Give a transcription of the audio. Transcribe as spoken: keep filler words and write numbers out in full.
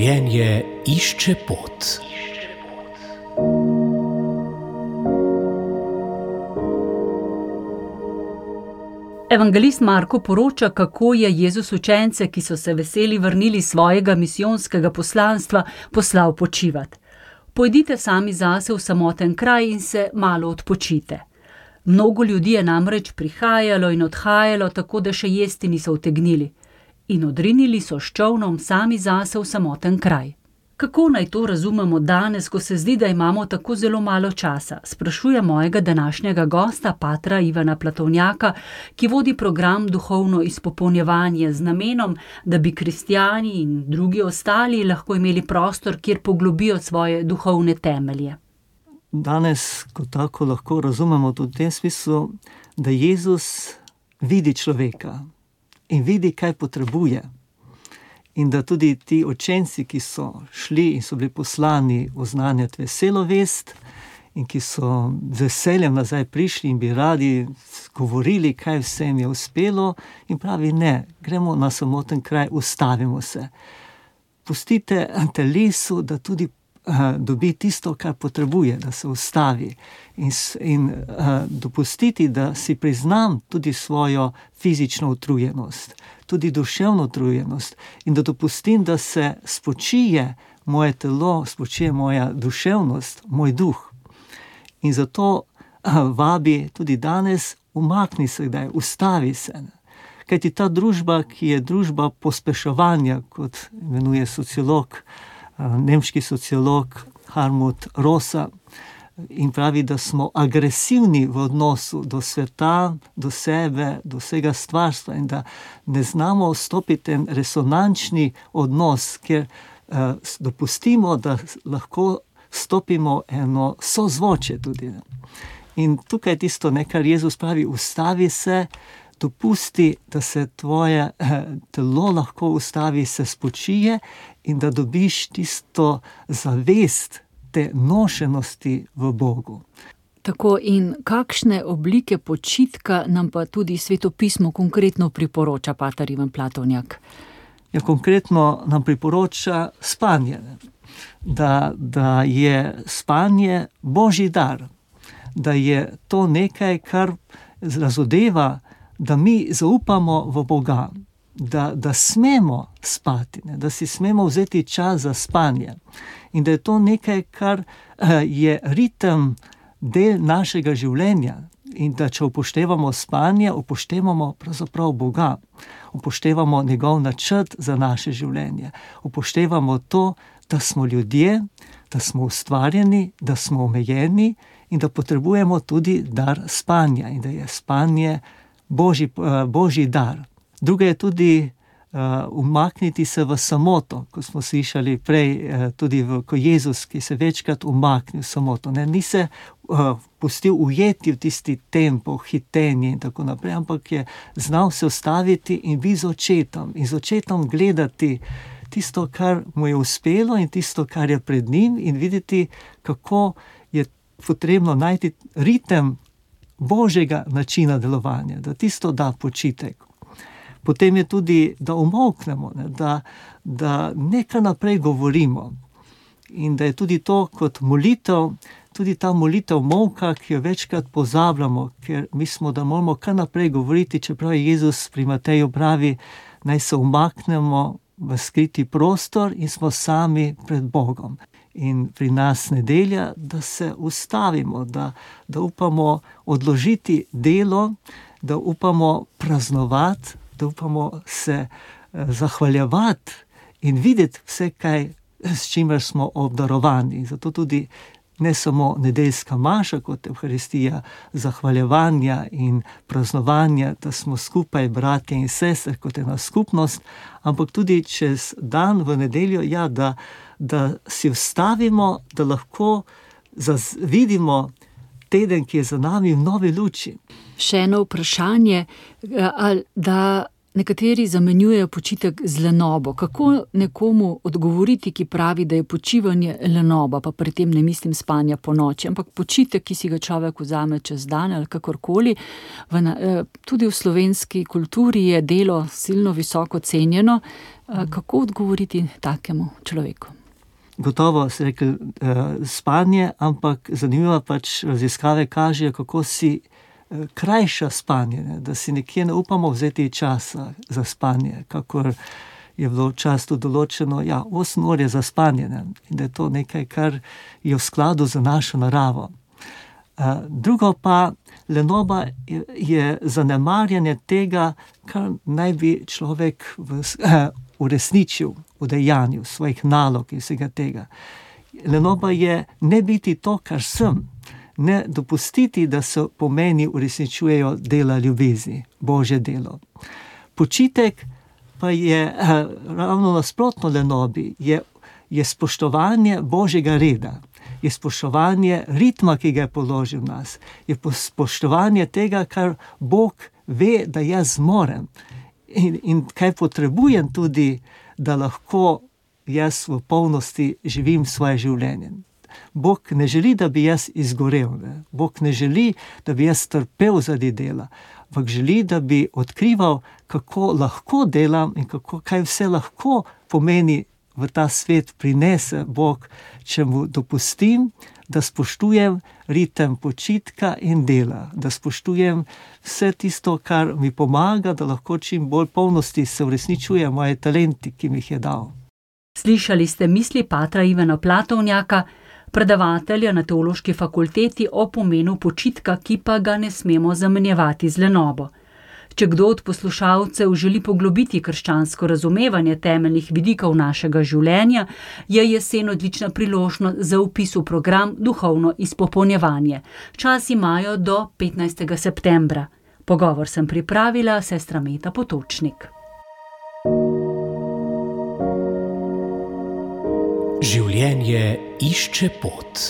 Življenje išče pot. Evangelist Marko poroča, kako je Jezus učence, ki so se veseli vrnili svojega misijonskega poslanstva, poslal počivat. Pojdite sami zase v samoten kraj in se malo odpočite. Mnogo ljudi je namreč prihajalo in odhajalo, tako da še jesti niso utegnili. In odrinili so s čolnom sami zase v samoten kraj. Kako naj to razumemo danes, ko se zdi, da imamo tako zelo malo časa, sprašuje mojega današnjega gosta, patra Ivana Platovnjaka, ki vodi program Duhovno izpopolnjevanje z namenom, da bi kristjani in drugi ostali lahko imeli prostor, kjer poglobijo svoje duhovne temelje. Danes, kot tako lahko razumemo tudi v tem smislu, da Jezus vidi človeka in vidi, kaj potrebuje. In da tudi ti učenci, ki so šli in so bili poslani oznanjati veselo vest in ki so z veseljem nazaj prišli in bi radi govorili, kaj vsem je uspelo, in pravi ne, gremo na samoten kraj, ustavimo se. Pustite telesu, da tudi uh, dobi tisto, kar potrebuje, da se ustavi. In, in uh, dopustiti, da si priznam tudi svojo fizično utrujenost, tudi duševno utrujenost, in da dopustim, da se spočije moje telo, spočije moja duševnost, moj duh. In zato uh, vabi tudi danes, umakni se kdaj, ustavi se. Kajti ta družba, ki je družba pospeševanja, kot imenuje sociolog, uh, nemški sociolog Hartmut Rosa, in pravi, da smo agresivni v odnosu do sveta, do sebe, do vsega stvarstva in da ne znamo vstopiti en resonančni odnos, kjer uh, dopustimo, da lahko stopimo eno sozvoče tudi. In tukaj je tisto, ne, kar Jezus pravi, ustavi se, dopusti, da se tvoje uh, telo lahko ustavi, se spočije in da dobiš tisto zavest, te nošenosti v Bogu. Tako, in kakšne oblike počitka nam pa tudi Sveto pismo konkretno priporoča, pater Ivan Platovnjak? Ja, konkretno nam priporoča spanje. Da, da je spanje Božji dar. Da je to nekaj, kar razodeva, da mi zaupamo v Boga. Da, da smemo spati, ne? Da si smemo vzeti čas za spanje. In da je to nekaj, kar uh, je ritem del našega življenja. In da če upoštevamo spanje, upoštevamo pravzaprav Boga. Upoštevamo njegov načrt za naše življenje. Upoštevamo to, da smo ljudje, da smo ustvarjeni, da smo omejeni in da potrebujemo tudi dar spanja. In da je spanje Božji, uh, Božji dar. Druga je tudi uh, umakniti se v samoto, kot smo slišali prej, uh, tudi v, ko Jezus, ki se večkrat umaknil v samoto. Ne? Ni se uh, pustil ujeti v tisti tempo, hitenje in tako naprej, ampak je znal se ustaviti in biti z očetom. In z očetom gledati tisto, kar mu je uspelo in tisto, kar je pred njim, in videti, kako je potrebno najti ritem Božjega načina delovanja, da tisto da počitek. Potem je tudi, da umolknemo, ne, da, da nekaj naprej govorimo. In da je tudi to kot molitev, tudi ta molitev molka, ki jo večkrat pozabljamo, ker mislimo, da moramo kar naprej govoriti, čeprav je Jezus pri Mateju pravi, naj se umaknemo v skriti prostor in smo sami pred Bogom. In pri nas nedelja, da se ustavimo, da, da upamo odložiti delo, da upamo praznovati, da upamo se zahvaljevati in videti vse, kaj, s čimer smo obdarovani. Zato tudi ne samo nedeljska maša kot Evharistija, zahvaljevanja in praznovanja, da smo skupaj bratje in sestre kot ena skupnost, ampak tudi čez dan v nedeljo, ja, da, da si vstavimo, da lahko zaz, vidimo teden, ki je za nami v novi luči. Še eno vprašanje, da nekateri zamenjujejo počitek z lenobo. Kako nekomu odgovoriti, ki pravi, da je počivanje lenoba, pa pri tem ne mislim spanja po noči, ampak počitek, ki si ga človek vzame čez dan ali kakorkoli. V, tudi v slovenski kulturi je delo silno visoko cenjeno. Kako odgovoriti takemu človeku? Gotovo se rekel spanje, ampak zanimivo pač raziskave kažejo, kako si krajša spanje, ne? Da si nekje ne upamo vzeti časa za spanje, kakor je bilo často določeno, ja, osem ur je za spanje, ne? In da je to nekaj, kar je v skladu z našo naravo. Drugo pa, lenoba je zanemarjanje tega, kar naj bi človek v, uresničil v dejanju svojih nalog in vsega tega. Lenoba je ne biti to, kar sem, ne dopustiti, da se po meni uresničujejo dela ljubezni, Božje delo. Počitek pa je ravno nasprotno lenobi, je, je spoštovanje Božjega reda, je spoštovanje ritma, ki ga je položil v nas, je spoštovanje tega, kar Bog ve, da jaz zmorem in, in kaj potrebujem tudi, da lahko jaz v polnosti živim svoje življenje. Bog ne želi, da bi jaz izgorel, ne? Bog ne želi, da bi jaz trpel zaradi dela, ampak želi, da bi odkrival, kako lahko delam in kako, kaj vse lahko pomeni v ta svet prinese Bog, če mu dopustim, da spoštujem ritem počitka in dela, da spoštujem vse tisto, kar mi pomaga, da lahko čim bolj polnosti se uresničuje moje talenti, ki mi jih je dal. Slišali ste misli patra Ivana Platovnjaka, predavatelja na Teološki fakulteti, o pomenu počitka, ki pa ga ne smemo zamenjevati z lenobo. Če kdo od poslušalcev želi poglobiti krščansko razumevanje temeljnih vidikov našega življenja, je jesen odlična priložnost za vpis v program Duhovno izpopolnjevanje. Čas imajo do petnajstega septembra. Pogovor sem pripravila sestra Meta Potočnik. Življenje išče pot.